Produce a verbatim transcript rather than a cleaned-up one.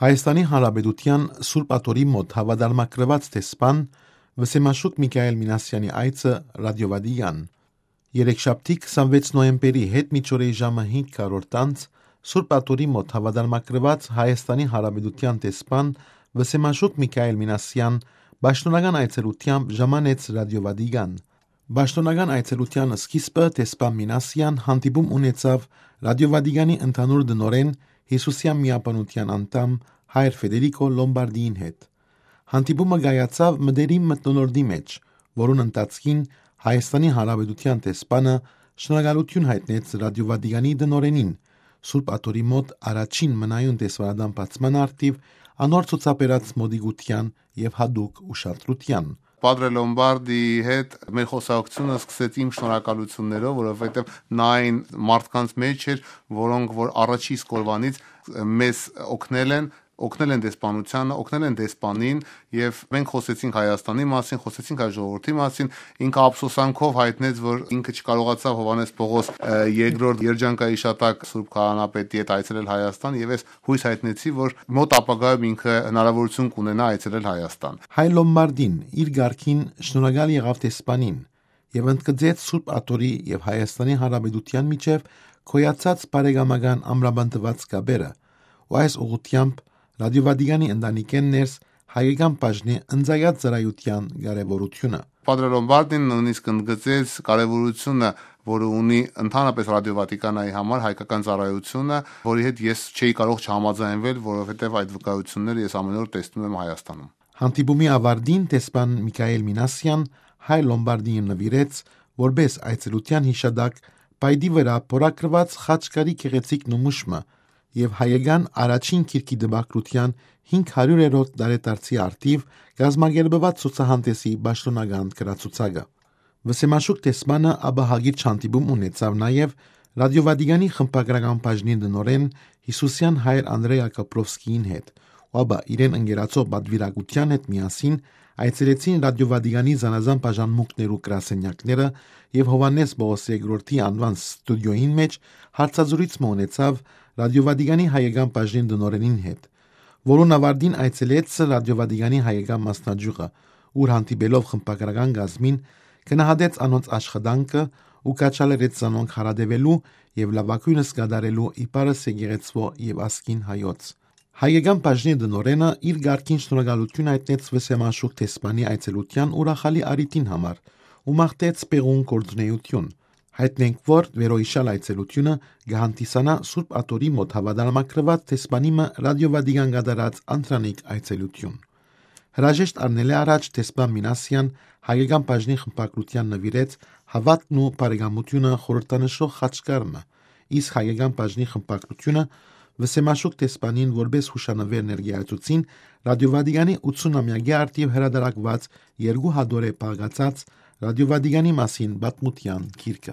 Հայաստանի Հանրապետութեան Սուրբ Աթոռի մօտ հաւատարմագրուած դեսպան Վսեմաշուք Միքայել Մինասեանի այցը Ռադիո Վատիկան։ Երեքշաբթի, քսանվեց նոյեմբերի, յետ միջօրեի ժամը հինգ քառորդ անց, Սուրբ Աթոռի մօտ հաւատարմագրուած Հայաստանի Հանրապետութեան դեսպան Վսեմաշուք Միքայել Մինասեան պաշտօնական այցելութեամբ ժամանեց Ռադիո Վատիկան։ Պաշտօնական այցելութեան սկիզբը դեսպան Մինասեան հանդիպում ունեցաւ Ռադիո Վատիկանի ընդհանուր տնօրէն, Յիսուսեան միաբանութեան անդամ հայր Ֆեդերիկո Լոմբարդիին հետ։ Հանդիպումը կայացաւ մտերիմ մթնոլորտի մէջ, որուն ընթացքին Հայաստանի Հանրապետութեան դեսպանը շնորհակալութիւն յայտնեց Ռադիո Վատիկանի տնօրէնին, Սուրբ Աթոռի մօտ առաջին մնայուն դեսպանատան բացման առթիւ անոր ցուցաբերած մօտիկութեան եւ յատուկ ուշադրութեան։ Պատրե Լոմբարդի հետ մեր խոսակցությունը սկսեց իմ շնորհակալություններով, որովհետեւ նա այն մարդկանց մէջ էր, որոնք որ առաջի իսկ օրվանից մեզ օգնել են, օգնել են դեսպանությանը, օգնել են դեսպանին, եւ մենք խոսեցինք Հայաստանի մասին, խոսեցինք հայ ժողովրդի մասին։ Ինքը ափսոսանքով հայտնեց, որ ինքը չկարողացաւ Հովհաննէս Պողոս, ը, երկրորդ երջանկայիշատակ Սուրբ Քահանապետի հետ այցելել Հայաստան, եւ ես յոյս յայտնեցի, որ մօտ ապագայում ինքը հնարավորություն կունենայ այցելել Հայաստան։ Հայ Լոմբարդին իր կարգին շնորհակալ եղաւ դեսպանին եւ ընդգծեց Սուրբ Աթոռի եւ Հայաստանի Հանրապետութեան միջեւ գոյացած բարեկամական ամրապնդուած կապերը, ու այս ուղղութեամբ Ռադիո Վատիկանի ընտանիքէն ներս հայկական բաժնի ընծայած ծառայութեան կարեւորութիւնը։ Պատրե Լոմբարդին նոյնիսկ ընդգծեց կարեւորութիւնը, որը ունի ընդհանրապես Ռադիո Վատիկանայի համար հայկական ծառայությունը, որի հետ ես չէի կարող չհամաձայնվել, որովհետեւ այդ վկայությունները ես ամեն օր տեսնում եմ Հայաստանում։ Հանդիպումի ավարտին դեսպան Միքայել Մինասեան Հայ Լոմբարդիին նուիրեց, որպէս այցելութեան յիշատակ պայտի վրայ փորագրուած խաչքարի գեղեցիկ նմուշ մը եւ հայկական առաջին գիրքի տպագրութեան հինգ հարիւրերորդ տարեդարձի առթիւ կազմակերպուած ցուցահանդէսի պաշտօնական գրացուցակը։ Վսեմաշուք դեսպանը ապա հակիրճ հանդիպում ունեցաւ նաեւ Ռադիո Վատիկանի խմբագրական բաժնի տնօրէն Յիսուսեան հայր Անդրեա Կապրովսկիին հետ, ու ապա իրեն ընկերացող պատուիրակութեան հետ միասին այցելեցին Ռադիո Վատիկանի զանազան բաժանմունքներու գրասենյակները եւ Հովհաննէս Պողոս երկրորդի անուան ստուդիոյին մէջ հարցազրոյց մը ունեցաւ Ռադիո Վատիկանի հայկական բաժնի տնօրէնին հետ, որուն ավարտին այցելեց Ռադիո Վատիկանի հայկական մասնաճիւղը, ուր հանդիպելով խմբագրական կազմին, գնահատեց անոնց աշխատանքը ու քաջալերեց զանոնք հարատեւելու եւ լաւագոյնս կատարելու իբարս եկեղեցւոյ եւ ազգին հայոց։ Հայկական բաժնի տնօրէնը իր կարգին շնորհակալութիւն յայտնեց Վսեմաշուք դեսպանի այցելութեան ուրախալի առիթին համար ու մաղթեց պեղուն գործունեութիւն։ Յայտնենք, որ վերոյիշալ այցելութիւնը կը հանդիսանայ Սուրբ Աթոռի մօտ հաւատարմագրուած դեսպանի մը Ռադիո Վատիկան կատարած անդրանիկ այցելութիւն։ Հրաժեշտ առնելէ առաջ դեսպան Մինասեան հայկական բաժնի խմբագրութեան նուիրեց Հաւատքն ու բարեկամությունը խորհրդանշող խաչքար մը, իսկ հայկական բաժնի խմբագրութիւնը Վսեմաշուք դեսպանին որպէս յուշանուէր ներկայացուցին Ռադիո Վատիկանի ութսունամեակի առթիւ հրատարակուած երկու հատորէ բաղկացած Ռադիո Վատիկանի մասին պատմութեան գիրքը։